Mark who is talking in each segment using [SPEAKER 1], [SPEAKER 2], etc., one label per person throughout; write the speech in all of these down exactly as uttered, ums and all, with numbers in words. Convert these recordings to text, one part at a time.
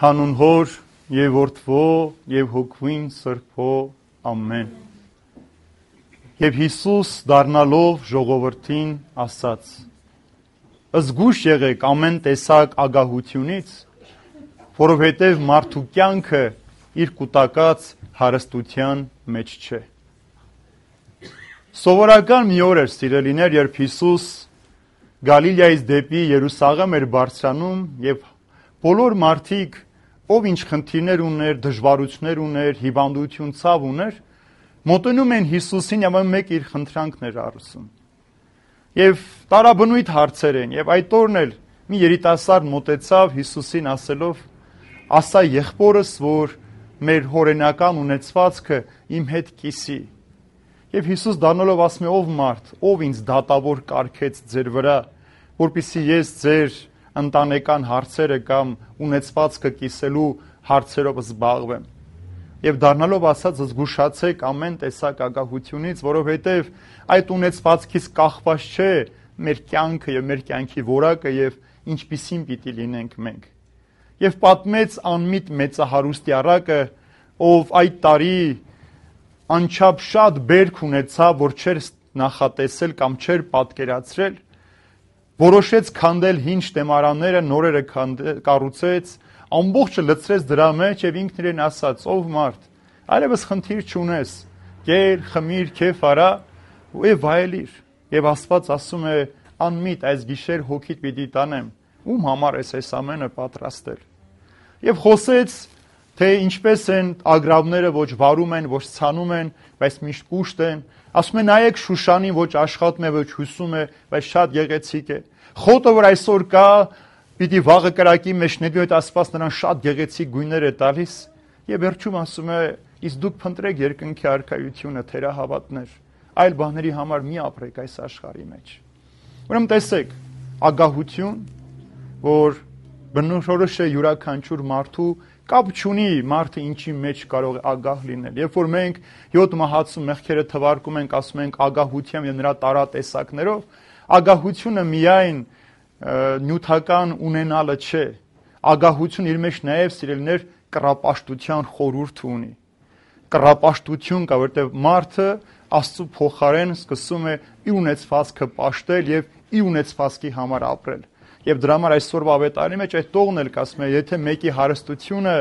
[SPEAKER 1] Հանուն Հոր եւ Որդվո եւ Հոգվին Սրբո ամեն։ Եվ Հիսուս դառնալով ժողովրդին ասաց. Զգույշ եղեք ամեն տեսակ ագահությունից, որովհետև մարդու կյանքը իր կուտակած հարստության մեջ չէ։ Սովորական մի օր էր, սիրելիներ, երբ Հիսուս Գալիլեայից դեպի Երուսաղեմ էր բարձրանում եւ բոլոր մարդիկ, ով ինչ խնդիրներ ուներ, դժվարություններ ուներ, հիվանդություն, ցավ ուներ, մոտենում են Հիսուսին եւ մեկ իր խնդրանքն էր ասում։ Եվ տարաբնույթ հարցեր են, եւ այդ օրն էլ մի երիտասարդ մոտեցավ Հիսուսին ասելով. ասա եղբորս, որ մեր հորենական ունեցվածքը իմ հետ կիսի։ Եվ Հիսուս դառնալով ասում է. ով մարդ, ով ինձ դատավոր կարգեց ձեր վրա, որպեսզի ես ձեր ընտանեկան հարցերը կամ ունեցվածքը կիսելու հարցերով զբաղվեմ։ Եվ դառնալով ասած, զգուշացեք ամեն տեսակ ագահությունից, որովհետև այդ ունեցվածքից կախված չէ մեր կյանքը եւ մեր կյանքի որակը եւ ինչպիսին պիտի լինենք մենք։ Եվ պատմեց անմիտ մեծահարուստի առակը, ով այդ տարի անչափ շատ բերք ունեցավ, որ չէր նախատեսել կամ չէր պատկերացրել, որոշեց քանդել հին շտեմարանները, նորերը կառուցեց, ամբողջը լցրեց դրա մեջ եւ ինքն իրեն ասաց. ով մարդ, այլևս խնդիր չունես, կեր, խմիր, քեֆ արա եւ վայելիր։ Եվ Աստված ասում է. անմիտ այս գիշեր հոգիդ պիտի տանեմ, ում համար ես այս ամենը պատրաստել։ Եվ խոսեց, թե ինչպես են ագռավները ոչ վարում են, ոչ ցանում են, բայց միշտ կուշտ են։ Ասում է նայեք Շուշանին, ոչ աշխատում է, ոչ հյուսում է, բայց շատ գեղեցիկ է։ Խոտը, որ այսօր կա, պիտի վաղը կրակի մեջ նետի, այդ Աստված նրան շատ գեղեցիկ գույներ է տալիս։ Եվ վերջում ասում է. իսկ դուք փնտրեք երկնքի արքայությունը, թերահավատներ, այլ բաների համար մի ապրեք այս աշխարհի մեջ։ Ուրեմն տեսեք, ագահություն, որ բնորոշ է յուրաքանչյուր մարդու, կապ չունի մարդը ինչի մեջ կարող է ագահ լինել։ Երբ որ մենք յոթ մահացու մեղքերը թվարկում ենք, ասում ենք ագահությամբ եւ նրա տարատեսակներով, ագահությունը միայն նյութական ունենալը չէ։ Ագահություն իր մեջ նաեւ սիրելիներ կռապաշտության խորհուրդ ունի։ Կռապաշտություն կա, որտեղ մարդը Աստծո փոխարեն սկսում է իր ունեցվածքը պաշտել եւ իր ունեցվածքի համար ապրել։ Եվ դրա համար այսօրվա ավետարանի մեջ այդ տողն էլ կասում է, եթե մեկի հարստությունը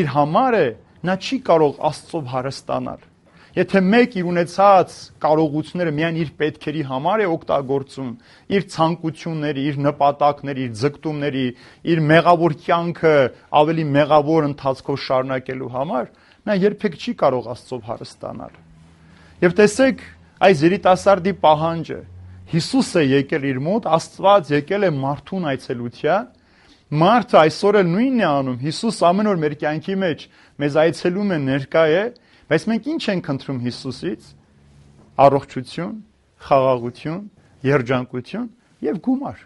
[SPEAKER 1] իր համար է, նա չի կարող Աստծով հարստանալ։ Եթե մեկ իր ունեցած կարողությունները միայն իր պետքերի համար է օգտագործում, իր ցանկությունների, իր նպատակների, իր ձգտումների, իր մեղավոր կյանքը ավելի մեղավոր ընթացքով շարունակելու համար, նա երբեք չի կարող Աստծով հարստանալ։ Եվ տեսեք, այս երիտասարդի պահանջը Հիսուս է եկել իր մոտ, Աստված եկել է մարդուն այցելության, մարդը այսօր էլ նույնն է անում, Հիսուս ամեն օր մեր կյանքի մեջ մեզ այցելում է, ներկա է, բայց մենք ինչ ենք խնդրում Հիսուսից? Առողջություն, խաղաղություն, երջանկություն եւ գումար,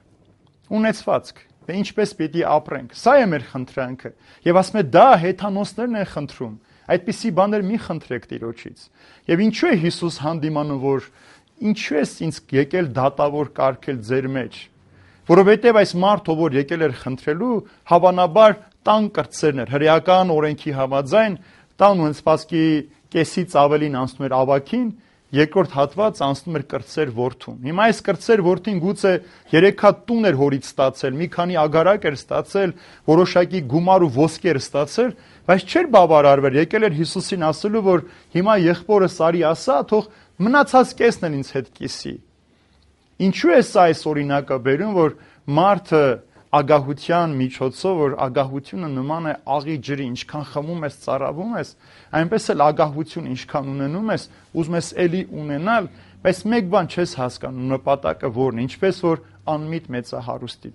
[SPEAKER 1] ունեցվածք, թե ինչպես պիտի ապրենք։ Սա է մեր խնդրանքը։ Եվ ասում է դա հեթանոսներն են խնդրում, այդպիսի բաներ մի խնդրեք Տիրոջից։ Եվ ինչու է Հիսուս հանդիմանում, որ ինչու ես ինձ եկել դատավոր կարգել ձեր մեջ, որովհետև այս մարդը, որ եկել էր խնդրելու, հավանաբար տան կրտսերն էր, հրեական օրենքի համաձայն տան ունեցվածքի կեսից ավելին անցնում էր ավագին, երկրորդ հատված անցնում էր կրտսեր որդուն։ Հիմա այս կրտսեր որդին գուցե երեք հատ տուն էր հորից ստացել, մի քանի ագարակ էր ստացել, որոշակի գումար ու ոսկի էր ստացել, բայց չէր բավարարվել, եկել էր Հիսուսին ասելու, որ հիմա եղբորս արի ասա, թող մնացած կեսն էլ ինձ հետ կիսի։ Ինչու է սա այս օրինակը բերում, որ մարդը ագահության միջոցով, որ ագահությունը նման է աղի ջրի, ինչքան խմում ես, ծարավում ես, այնպես էլ ագահություն ինչքան ունենում ես, ուզում ես էլի ունենալ, բայց մեկ բան չես հասկանում, նպատակը որն է, ինչպես որ անմիտ մեծահարուստի։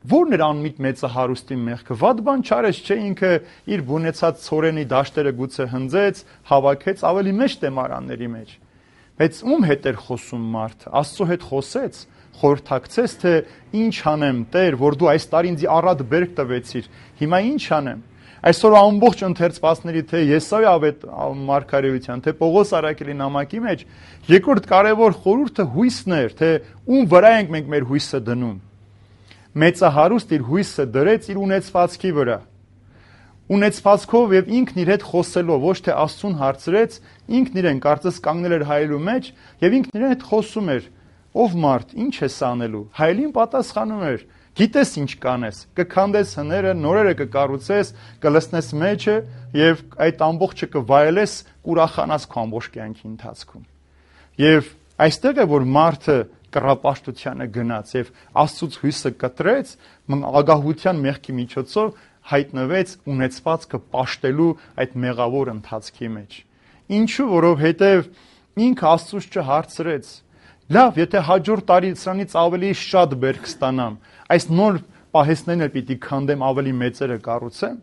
[SPEAKER 1] Որն էր անմիտ մեծահարուստի մեղքը? Վատ բան չարեց, չէ, ինքը իր բունեցած ցորենի դաշտերը գուցե հնձեց, հավաքեց ավելի մեծ տեմարանների մեջ։ Բայց ում հետ էր խոսում մարդը? Աստծո հետ խոսեց, խորհրդակցեց, թե ինչ անեմ, Տեր, որ դու այս տարի ինձ առատ բերք տվեցիր, հիմա ինչ անեմ։ Այսօր ամբողջ ընթերցվածների թե Եսայի ավետ մարգարեության, թե Պողոս Արաքելի նամակի մեջ երկրորդ կարևոր խորհուրդը հույսն էր, թե ում վրա ենք մենք մեր հույսը դնում։ մեծահարուստ իր հույսը դրեց իր ունեցվածքի վրա։ Ունեցվածքով եւ ինքն իր հետ խոսելով, ոչ թե Աստծուն հարցրեց, ինքն իրեն կարծես կանգնել էր հայելու մեջ եւ ինքն իրեն հետ խոսում էր. ով մարդ, ինչ ես անելու։ Հայելին պատասխանում էր. գիտես ինչ կանես, կքանդես հները, նորերը կկառուցես, կլցնես մեջը եւ այդ ամբողջը կվայելես, կուրախանաս քո ամբողջ կյանքի ընթացքում։ Եվ այստեղ է որ մարդը կռապաշտությանը գնաց եւ Աստծուց հույսը կտրեց, ագահության մեղքի միջոցով հայտնվեց ունեցվածքը պաշտելու այդ մեղավոր ընթացքի մեջ։ Ինչու, որովհետև ինքը Աստծուց չհարցրեց. լավ, եթե հաջորդ տարի սրանից ավելի շատ բերք ստանամ, այս նոր պահեստներն էլ պիտի քանդեմ, ավելի մեծերը կառուցեմ։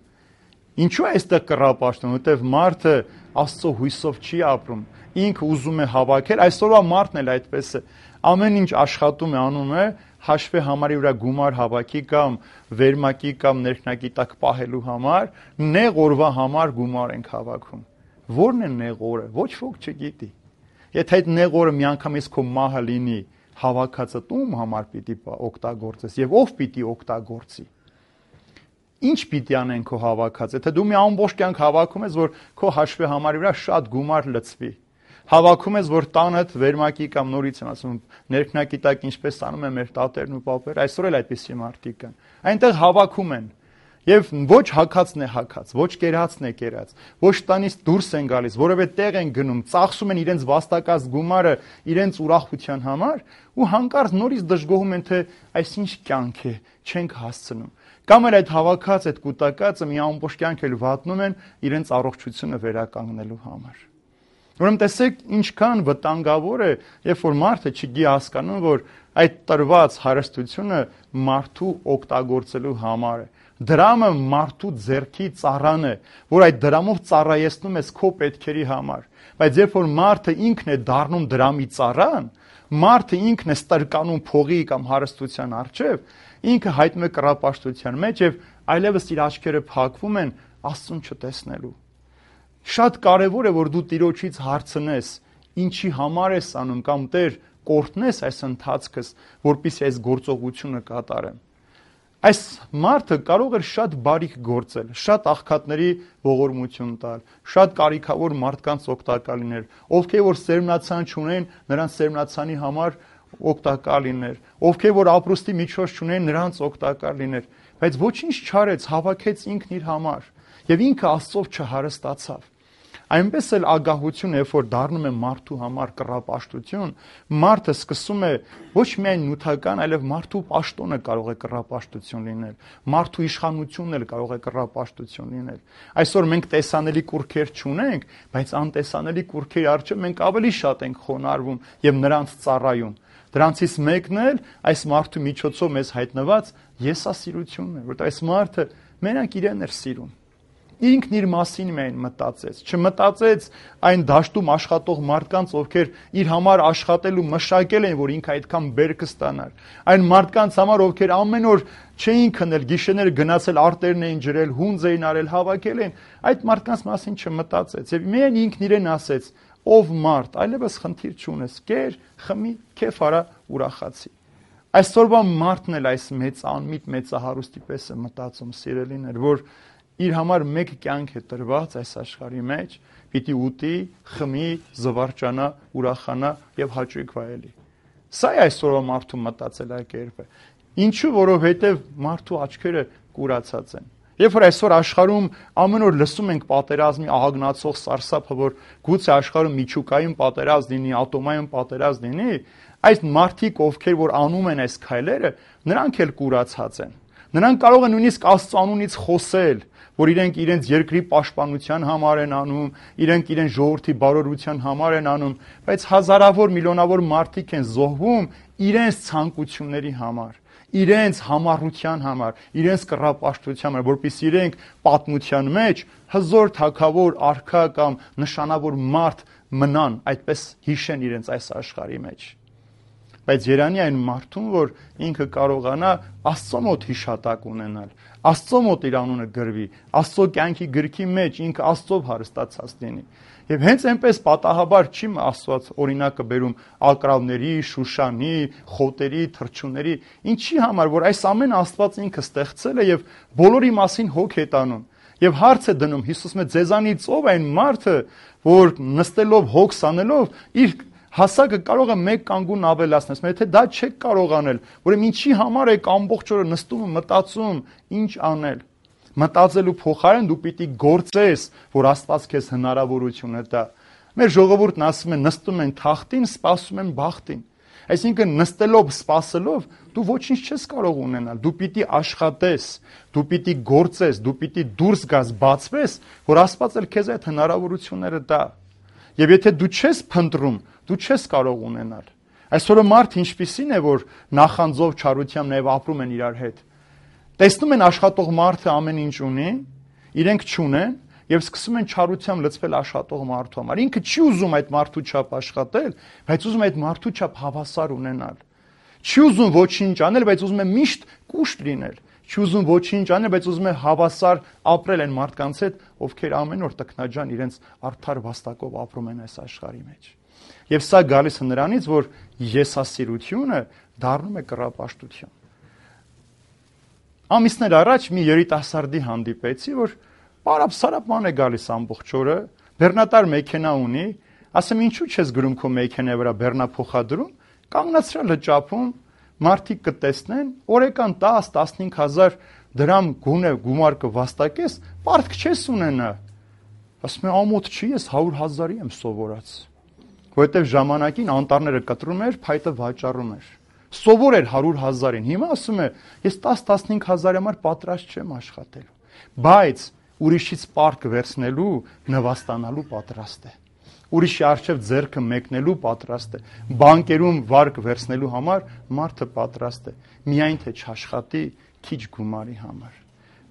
[SPEAKER 1] Ինչու է այստեղ կռապաշտում, որովհետև մարդը Աստծո հույսով չի ապրում, ինքը ուզում է հավաքել, այսօրվա մարդն էլ այդպես է, ամեն ինչ աշխատում է, անում է, հաշվի համարի վրա գումար հավաքի կամ վերմակի կամ ներքնակի տակ պահելու համար, նեղ օրվա համար գումար ենք հավաքում։ Որն է նեղ օրը, ոչ ոք չգիտի։ Եթե այդ նեղ օրը միանգամից քո մահը լինի, հավաքածը ում համար պիտի օգտագործես եւ ով պիտի օգտագործի։ Ինչ պիտի անեն քո հավաքածը, եթե դու մի ամբողջ կյանք հավաքում ես, որ քո հաշվի համարի վրա շատ գումար լցվի։ Հավաքում ես, որ տանդ վերմակի կամ նորից եմ ասում, ներքնակի տակ ինչպես անում են մեր տատերն ու պապերը, այսօր էլ այդպիսի մարդիկ կան։ Այնտեղ հավաքում են։ Եվ ոչ հակածն է հակած, ոչ կերածն է կերած, ոչ տանից դուրս են գալիս, որևէ տեղ են գնում, ծախսում են իրենց վաստակած գումարը իրենց ուրախության համար ու հանկարծ նորից դժգոհում են, թե այսինչ կյանք է, չենք հասցնում։ Կամ էլ այդ հավաքած, այդ կուտակածը մի ամբողջ կյանք էլ վատնում են իրենց առողջությունը վերականգնելու համար։ Ուրեմն տեսեք ինչքան վտանգավոր է, երբ որ մարդը չգիտի հասկանում, որ այդ տրված հարստությունը մարդու օգտագործելու համար է։ Դրամը մարդու ձեռքի ծառան է, որ այդ դրամով ծառայեցնում ես քո պետքերի համար։ Բայց երբ որ մարդը ինքն է դառնում դրամի ծառան, մարդը ինքն է ստրկանում փողի կամ հարստության առջև, ինքը հայտնվում է կռապաշտության մեջ եւ այլևս իր աչքերը փակվում են Աստծուն չտեսնելու։ Շատ կարևոր է, որ դու Տիրոջից հարցնես, ինչի համար ես անում կամ Տեր կորտնես այս ընթացքս, որպեսզի այս գործողությունը կատարեմ։ Այս մարդը կարող էր շատ բարիք գործել, շատ աղքատների ողորմություն տալ, շատ կարիքավոր մարդկանց օգտակար լինել, ովքեր որ սերմնացան չունեն, նրանց սերմնացանի համար օգտակար լինել, ովքեր որ ապրուստի միջոց չունեն, նրանց օգտակար լինել, բայց ոչինչ չարեց, հավաքեց ինքն իր համար եւ ինքը Աստծով չհարստացավ։ Այնպես էլ ագահություն, երբ որ դառնում է մարդու համար կռապաշտություն, մարդը սկսում է ոչ միայն նյութական, այլև մարդու պաշտոնը կարող է կռապաշտություն լինել, մարդու իշխանությունն էլ կարող է կռապաշտություն լինել։ Այսօր մենք տեսանելի կուռքեր չունենք, բայց անտեսանելի կուռքերի առջև մենք ավելի շատ ենք խոնարհվում եւ նրանց ծառայում։ Դրանցից մեկն էլ այս մարդու միջոցով մեզ հայտնված եսասիրությունն է, որտեղ այս մարդը մենակ իրեն էր սիրում։ Ինքն իր մասին միայն մտածեց, չմտածեց այն դաշտում աշխատող մարդկանց, ովքեր իր համար աշխատել ու մշակել են, որ ինքը այդքան բերքը ստանար։ Այն մարդկանց համար, ովքեր ամեն օր չէին քնել, գիշերներ գնացել, արտերն էին ջրել, հունձ էին արել, հավաքել են, այդ մարդկանց մասին չմտածեց։ Եվ միայն ինքն իրեն ասեց. ով մարդ, այլևս խնդիր չունես, կեր, խմի, քեֆ արա, ուրախացի։ Այսօրվա մարդն էլ այս մեծ անմիտ մեծահարուստի պես է մտածում, սիրելիներ, որ իր համար մեկ կյանք է տրված այս աշխարհի մեջ, պիտի ուտի, խմի, զվարճանա, ուրախանա եւ հաճույք վայելի։ Սա է այսօրվա մարդու մտածելակերպը։ Ինչու, որովհետեւ մարդու աչքերը կուրացած են։ Երբ որ այսօր աշխարհում ամեն օր լսում ենք պատերազմի ահագնացող սարսափը, որ գուցե աշխարհում միջուկային պատերազմ լինի, ատոմային պատերազմ լինի, այս մարդիկ, ովքեր որ անում են այս քայլերը, նրանք էլ կուրացած են։ Նրանք կարող են նույնիսկ Աստծո անունից խոսել, որ իրենք իրենց երկրի պաշտպանության համար են անում, իրենք իրենց ժողովրդի բարօրության համար են անում, բայց հազարավոր միլիոնավոր մարդիկ են զոհվում իրենց ցանկությունների համար, իրենց համառության համար, իրենց կռապաշտության համար, որպեսզի իրենք պատմության մեջ հզոր թագավոր, արքա կամ նշանավոր մարդ մնան, այդպես հիշեն իրենց այս աշխարհի մեջ։ բայց Երանի այն մարդուն, որ ինքը կարողանա Աստծո մոտ հիշատակ ունենալ, Աստծո մոտ իր անունը գրվի, Աստծո կյանքի գրքի մեջ ինքը Աստծով հարստացած լինի։ Եվ հենց այնպես պատահաբար չի Աստված օրինակը բերում ակրավների, Շուշանի, խոտերի, թռչունների, ինչի համար, որ այս ամենը Աստված ինքը ստեղծել է եւ բոլորի մասին հոգ է տանում։ Եվ հարց է դնում Հիսուսը, ձեզանից ով այն մարդը, որ նստելով հոգս անելով իր հասակը կարող է մեկ կանգուն ավելացնել, ասում եթե դա չեք կարող անել, ուրեմն ինչի համար եք ամբողջ օրը նստում ու մտածում, ինչ անել։ Մտածելու փոխարեն դու պիտի գործես, որ Աստված քեզ հնարավորությունը տա։ Մեր ժողովուրդն ասում է նստում են թախտին, սպասում են բախտին։ Այսինքն նստելով, սպասելով դու ոչինչ չես կարող ունենալ, դու պիտի աշխատես, դու պիտի գործես, դու պիտի դուրս գաս, բացվես, որ Աստված էլ քեզ այդ հնարավորությունները տա։ Եվ եթե դու չես փնտրում, դու չես կարող ունենալ։ Այսօրը մարդ ինչպիսին է, որ նախանձով չարությամբ նաև ապրում են իրար հետ։ Տեսնում են աշխատող մարդը ամեն ինչ ունի, իրենք չունեն եւ սկսում են չարությամբ լցվել աշխատող մարդու համար։ Ինքը չի ուզում այդ մարդու չափ աշխատել, բայց ուզում է այդ մարդու չափ հավասար ունենալ։ Չի ուզում ոչինչ անել, բայց ուզում է միշտ կուշտ լինել։ Չի ուզում ոչինչ անել, բայց ուզում է հավասար ապրել այն մարդկանց հետ, ովքեր ամեն օր տքնաջան իրենց արդար վաստակով ապրում են այս աշխարհի մեջ։ Եվ սա գալիս է նրանից, որ եսասիրությունը դառնում է կռապաշտություն։ Ամիսներ առաջ մի երիտասարդի հանդիպեցի, որ պարապ-սարապ է գալիս ամբողջ օրը, բեռնատար մեքենա ունի, ասեմ ինչու չես գրում քո մեքենայի վրա բեռնափոխադրում, կանգնացրել լճափում, մարդիկ կտեսնեն, օրեկան տաս տասնհինգ հազար դրամ գունե գումար կվաստակես, պարտք չես ունենա։ Ասում է ամոթ չի, ես հարյուր հազարի եմ սովորած, որովհետև ժամանակին անտառները կտրում էր, փայտը վաճառում էր։ Սովոր էր հարյուր հազարին, հիմա ասում է ես տաս-տասնհինգ հազարի համար պատրաստ չեմ աշխատելու, բայց ուրիշից պարտք վերցնելու, նվաստանալու պատրաստ է։ Ուրիշի առջև ձեռքը մեկնելու պատրաստ է, բանկերում վարկ վերցնելու համար մարդը պատրաստ է, միայն թե չաշխատի քիչ գումարի համար։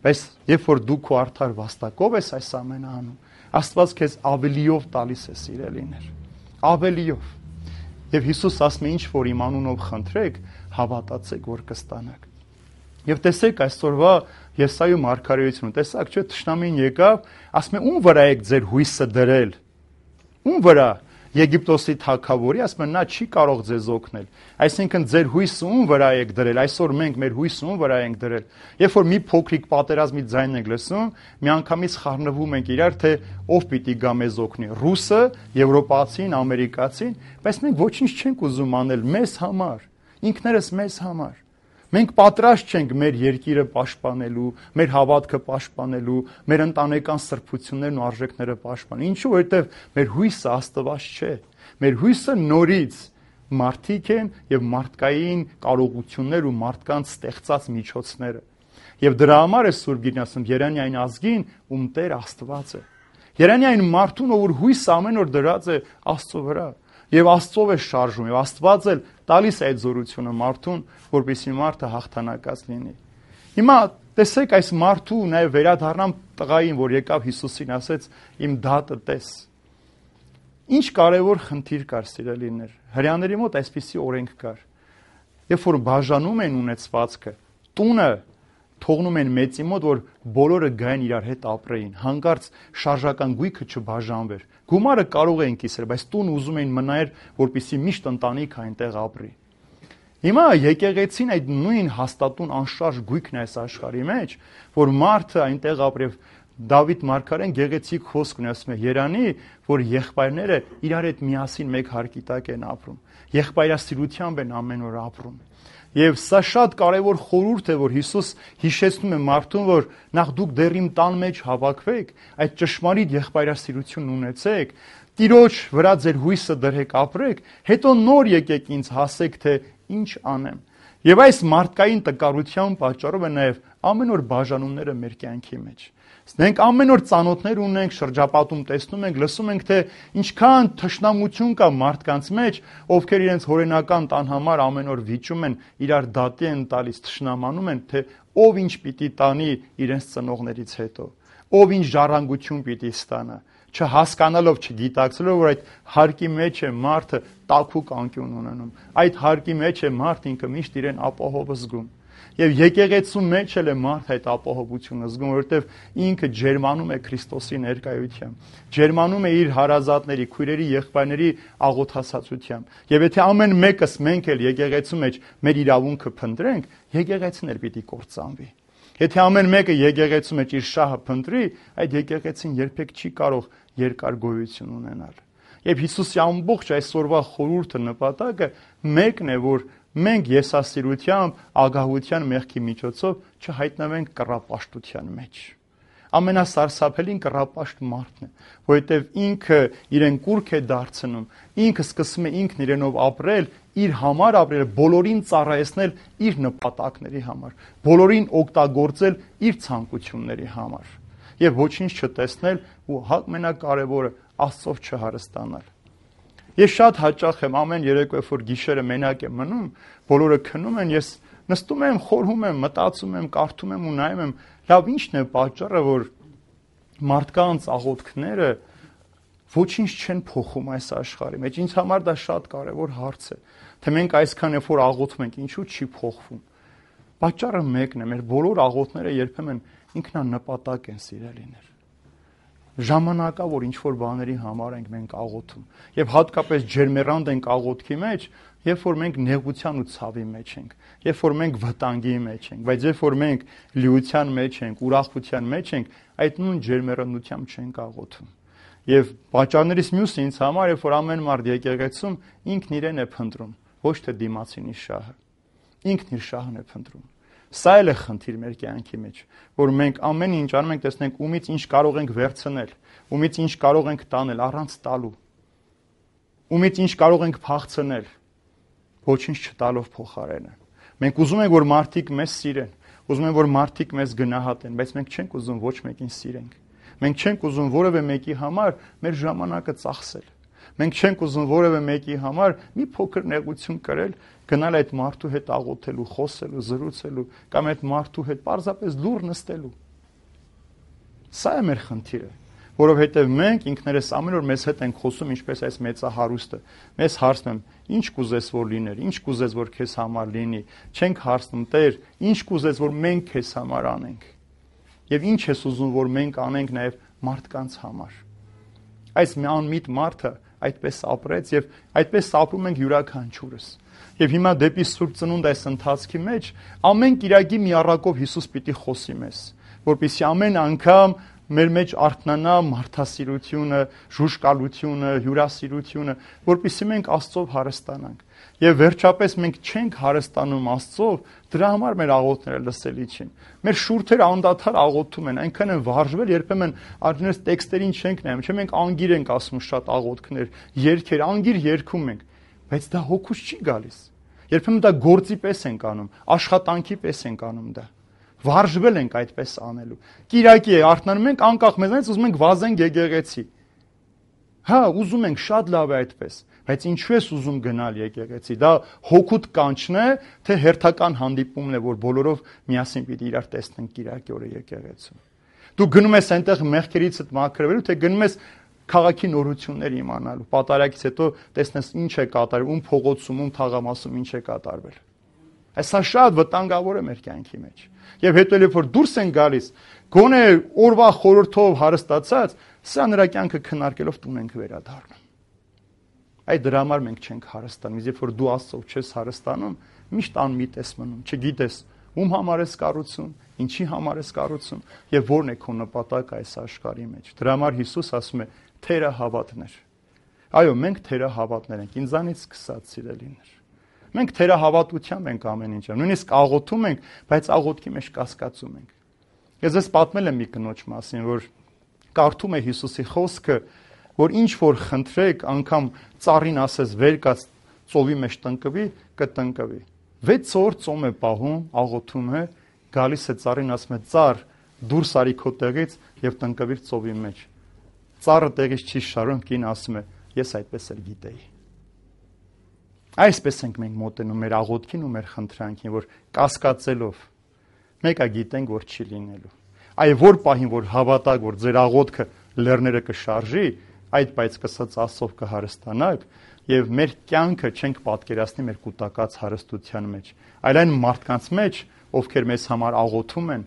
[SPEAKER 1] Բայց երբ որ դու քո արդար վաստակով ես այս ամենը անում, Աստված քեզ ավելիով տալիս է սիրելիներ, ավելիով։ Եվ Հիսուս ասում է ինչ որ իմ անունով խնդրեք, հավատացեք, որ կստանաք։ Եվ տեսեք այսօրվա Եսայու մարգարեությունը, տեսակ չէ, թշնամին եկավ, ասում է ում վրա եք ձեր հույսը դրել։ Ում վրա Եգիպտոսի թագավորի, ասում են նա չի կարող ձեզ օգնել։ Այսինքն ձեր հույսը ում վրա եք դրել, այսօր մենք մեր հույսը ում վրա ենք դրել։ Երբ որ մի փոքրիկ պատերազմի ձայն ենք լսում, միանգամից խառնվում ենք իրար, թե ով պիտի գա մեզ օգնի՝ ռուսը, եվրոպացին, ամերիկացին, բայց մենք ոչինչ չենք ուզում անել մեզ համար, ինքներս մեզ համար։ Մենք պատրաստ չենք մեր երկիրը պաշտպանելու, մեր հավատքը պաշտպանելու, մեր ընտանեկան սրբություններն ու արժեքները պաշտպանել։ Ինչու՞, որովհետև մեր հույսը Աստված չէ։ Մեր հույսը նորից մարդիկ են եւ մարդկային կարողություններ ու մարդկանց ստեղծած միջոցները։ Եվ դրա համար է Սուրբ Գիրքն ասում Երանի այն ազգին, ում Տեր Աստված է։ Երանի այն մարդուն, ով հույսը ամեն օր դրած է Աստծո վրա։ Եվ Աստծով է շարժում, եւ Աստված էլ տալիս է այդ զորությունը մարդուն, որպեսզի մարդը հաղթանակած լինի։ Հիմա տեսեք այս մարդու նաեւ վերադառնամ տղային, որ եկավ Հիսուսին, ասեց իմ դատը տես։ Ինչ կարևոր խնդիր կար, սիրելիներ։ Հրեաների մոտ այսպիսի օրենք կար։ Երբ որ բաժանում են ունեցվածքը, տունը թողնում են մեծի մոտ, որ բոլորը գային իրար հետ ապրեին, հանկարծ շարժական գույքը չբաժանվեր։ Գումարը կարող էին կիսել, բայց տուն ուզում էին մնայր, որպեսզի միշտ ընտանիք այնտեղ ապրի։ Հիմա եկեղեցին այդ նույն հաստատուն անշարժ գույքն է այս աշխարհի մեջ, որ մարդը այնտեղ ապրի։ Դավիթ մարգարեն գեղեցիկ խոսք ունի, ասում է Երանի, որ եղբայրները իրար հետ միասին մեկ հարկի տակ են ապրում։ Եղբայրասիրությամբ են ամեն օր ապրում։ Եվ սա շատ կարևոր խորհուրդ է, որ Հիսուս հիշեցնում է մարդուն, որ նախ դուք դեռ իմ տան մեջ հավաքվեք, այդ ճշմարիտ եղբայրասիրություն ունեցեք, Տիրոջ վրա ձեր հույսը դրեք, ապրեք, հետո նոր եկեք ինձ հասեք, թե ինչ անեմ։ Եվ այս մարդկային տկարության պատճառով է նաև ամեն օր բաժանումները մեր կյանքի մեջ։ Մենք ամեն օր ծանոթներ ունենք, շրջապատում տեսնում ենք, լսում ենք, թե ինչքան թշնամություն կա մարդկանց մեջ, ովքեր իրենց հորենական տան համար ամեն օր վիճում են, իրար դատի են տալիս, թշնամանում են, թե ով ինչ պիտի տանի իրենց ծնողներից հետո, ով ինչ ժառանգություն պիտի ստանա։ չհասկանալով, չգիտակցելով, որ այդ հարկի մեջ է մարդը տաքուկ անկյուն ունենում։ Այդ հարկի մեջ է մարդ ինքը միշտ իրեն ապահով զգում։ Եվ եկեղեցու մեջ էլ է մարդ այդ ապահովությունը զգում, որովհետև ինքը ջերմանում է Քրիստոսի ներկայությամբ, ջերմանում է իր հարազատների, քույրերի, եղբայրների աղոթասացությամբ։ Եվ եթե ամեն մեկս մենք էլ եկեղեցու մեջ մեր իրավունքը փնտրենք, եկեղեցին էլ պիտի կործանվի։ Եթե ամեն մեկը եկեղեցու մեջ իր շահը փնտրի, այդ եկեղեցին երբեք չի կարող երկար գոյություն ունենալ։ Եվ Հիսուսի ամբողջ այսօրվա խորհուրդը նպատակը մեկն է, որ մենք եսասիրությամբ, ագահության մեղքի միջոցով չհայտնվենք կռապաշտության մեջ։ Ամենասարսափելին կռապաշտ մարդն է, որովհետև ինքը իրեն կուրք է դարձնում, ինքը սկսում է ինքն իրենով ապրել, իր համար ապրել, բոլորին ծառայեցնել իր նպատակների համար, բոլորին օգտագործել իր ցանկությունների համար եւ ոչինչ չտեսնել ու ամենակարևորը Աստծով չհարստանալ։ Ես շատ հաճախ եմ ամեն երեկո, որ գիշերը մենակ եմ մնում, բոլորը քնում են, ես նստում եմ, խորհում եմ, մտածում եմ, կարդում եմ ու նայում եմ, լավ ի՞նչն է պատճառը, որ մարդկանց աղոթքները ոչինչ չեն փոխում այս աշխարհի մեջ։ Ինձ համար դա շատ կարևոր հարց է, թե մենք այսքան երբ որ աղոթում ենք, ինչու չի փոխվում։ Պատճառը մեկն է, մեր բոլոր աղոթները երբեմն ինքնանպատակ են, սիրելիներ։ Ժամանակավոր ինչ-որ բաների համար ենք մենք աղոթում եւ հատկապես ջերմեռանդ ենք աղոթքի մեջ, երբ որ մենք նեղության ու ցավի մեջ ենք, երբ որ մենք վտանգի մեջ ենք, բայց երբ որ մենք լիության մեջ ենք, ուրախության մեջ ենք, այդ նույն ջերմեռանդությամբ չենք աղոթում։ Եվ պատճառներից մյուսը ինձ համար, երբ որ ամեն մարդ եկեղեցում ինքն իրեն է փնտրում, ոչ թե դիմացինի շահը։ Ինքն իր շահն է փնտրում։ Սա էլ է խնդիր մեր կյանքի մեջ, որ մենք ամեն ինչ անում ենք, տեսնենք ումից ինչ կարող ենք վերցնել, ումից ինչ կարող ենք տանել առանց տալու, ումից ինչ կարող ենք փախցնել, ոչինչ չտալով փոխարենը։ Մենք ուզում ենք, որ մարդիկ մեզ սիրեն, ուզում ենք, որ մարդիկ մեզ գնահատեն, բայց մենք չենք ուզում ոչ մեկին սիրենք։ Մենք չենք ուզում որևէ մեկի համար մեր ժամանակը ծախսել։ Մենք չենք ուզում որևէ մեկի համար մի փոքր նեղություն կրել, գնալ այդ մարդու հետ աղոթելու, խոսելու, զրուցելու կամ այդ մարդու հետ պարզապես լուռ նստելու։ Սա է մեր խնդիրը, որովհետև մենք ինքներս ամեն օր մեզ հետ ենք խոսում ինչպես այս մեծահարուստը։ Մեզ հարցնում են, ինչ կուզես որ լիներ, ինչ կուզես որ քեզ համար լինի։ Չենք հարցնում, Տեր, ինչ կուզես որ մենք քեզ համար անենք։ Եվ ինչ ես ուզում որ մենք անենք նաև մարդկանց համար։ Այս մի անմիտ մարդը այդպես ապրեց եւ այդպես ապրում ենք յուրաքանչյուրս։ Եվ հիմա դեպի Սուրբ Ծնունդ այս ընթացքի մեջ ամեն կիրակի մի առակով Հիսուս պիտի խոսի մեզ, որպեսզի ամեն անգամ մեր մեջ արթնանա մարդասիրությունը, ժուժկալությունը, հյուրասիրությունը, որպեսզի մենք Աստծով հարստանանք։ Եվ վերջապես մենք չենք հարստանում Աստծով, դրա համար մեր աղոթները լսելի չեն։ Մեր շուրթերը անդադար աղոթում են, այնքան են վարժվել, երբեմն արդյունքից տեքստերին չենք նայում, չէ՞ մենք անգիր ենք ասում շատ աղոթքներ, երգեր, անգիր երգում ենք, բայց դա հոգուց չի գալիս։ Երբեմն դա գործի պես ենք անում, աշխատանքի պես ենք անում դա։ Վարժվել ենք այդպես անելու։ Կիրակի է, արթնանում ենք անկախ մեզանից ուզում ենք վազենք եկեղեցի։ Հա, ուզում ենք, շատ լավ է այդպես, բայց ինչու ես ուզում գնալ եկեղեցի։ Դա հոգուտ կանչն է, թե հերթական հանդիպումն է, որ բոլորով միասին պիտի իրար տեսնենք կիրակի օրը եկեղեցում։ Դու գնում ես այնտեղ մեղքերիցդ մաքրվելու, թե գնում ես քաղաքի նորություններ իմանալու։ Պատարագից հետո տեսնես ինչ է կատարվել, ում փողոցում, ում թաղամասում ինչ է կատարվել։ Այսա շատ վտանգավոր է մեր կյանքի մեջ։ Եվ հետո երբ որ դուրս են գալիս, գոնե օրվա խորհրդով հարստացած, սա նրա կյանքը քննարկելով տուն ենք վերադառնում։ Այդ դրա համար մենք չենք հարստանում, իսկ երբ որ դու Աստծով չես հարստանում, միշտ անմիտ ես մնում, չգիտես ում համար ես կառուցում, ինչի համար ես կառուցում եւ որն է քո նպատակը այս աշխարհի մեջ։ Դրա համար Հիսուս ասում է՝ թերահավատներ։ Այո, մենք թերահավատներ ենք, ինձանից սկսած սիրելիներ։ Մենք թերահավատությամբ ենք ամեն ինչը, նույնիսկ աղոթում ենք, բայց աղոթքի մեջ կասկածում ենք։ Ես ես պատմել եմ մի կնոջ մասին, որ կարդում է Հիսուսի խոսքը, որ ինչ որ խնդրեք, անգամ ծառին ասես վեր կաց ծովի մեջ տնկվի, կտնկվի։ վեց օր ծոմ է պահում, աղոթում է, գալիս է ծառին ասում է՝ ծառ, դուրս արի քո տեղից եւ տնկվիր ծովի մեջ։ Ծառը տեղից չի շարում, կին ասում է՝ ես այդպես էլ գիտեի։ Այսպես ենք մենք մոտենում մեր աղոթքին ու մեր խնդրանքին, որ կասկածելով մեկը գիտենք, որ չի լինելու։ Այ որ պահին, որ հավատակ, որ ձեր աղոթքը լեռները կշարժի, այդ բայց կսած Աստծով կհարստանանք եւ մեր կյանքը չենք պատկերացնի մեր կուտակած հարստության մեջ, այլ այն մարդկանց մեջ, ովքեր մեզ համար աղոթում են,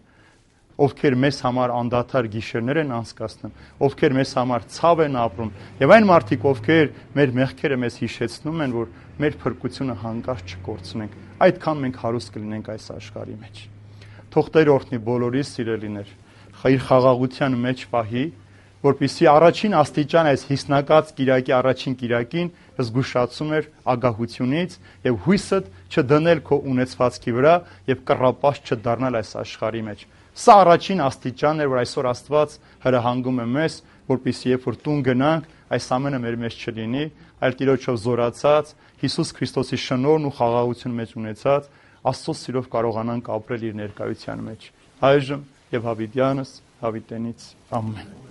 [SPEAKER 1] ովքեր մեզ համար անդադար գիշերներ են անցկացնում, ովքեր մեզ համար ցավ են ապրում, եւ այն մարդիկ, ովքեր մեր մեղքերը մեզ հիշեցնում են, որ մեր փրկությունը հանկարծ չկորցնենք, այդքան մենք հարուստ կլինենք այս աշխարհի մեջ։ Թող Տեր օրհնի բոլորիս սիրելիներ, իր խաղաղության մեջ պահի, որպեսզի առաջին աստիճան այս հիսնակած Կիրակի առաջին Կիրակին զգուշացում էր ագահությունից եւ հույսը չդնել քո ունեցվածքի վրա եւ կռապաշտ չդառնալ այս աշխարհի մեջ։ Սա առաջին աստիճանն է, որ այսօր Աստված հրահանգում է մեզ, որպեսզի երբ որ տուն գնանք, այս ամենը մեր մեջ չլինի, այլ Տիրոջով զորացած, Հիսուս Քրիստոսի շնորհն ու խաղաղություն մեջ ունեցած, Աստծո սիրով կարողանանք ապրել իր ներկայության մեջ։ Այժմ եւ հավիտյանս հավիտենից ամեն։